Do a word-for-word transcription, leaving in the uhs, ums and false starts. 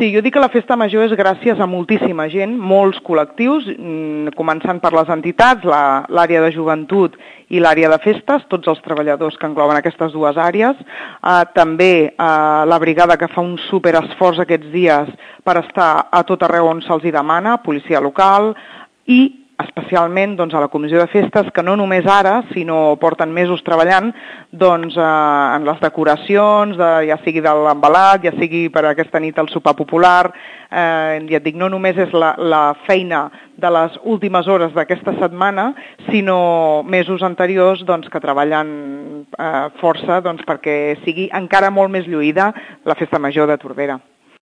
Sí, jo dic que la festa major és gràcies a moltíssima gent, molts col·lectius, començant per les entitats, l'àrea de joventut i l'àrea de festes, tots els treballadors que engloben aquestes dues àrees, eh, també eh, la brigada que fa un superesforç aquests dies per estar a tot arreu on se'ls hi demana, policia local, i especialment doncs, a la comissió de festes, que no només ara, sinó porten mesos treballant doncs, eh, en les decoracions, de, ja sigui de l'embalat, ja sigui per aquesta nit el sopar popular, eh, ja et dic, no només és la, la feina de les últimes hores d'aquesta setmana, sinó mesos anteriors doncs, que treballen eh, força doncs, perquè sigui encara molt més lluïda la festa major de Tordera.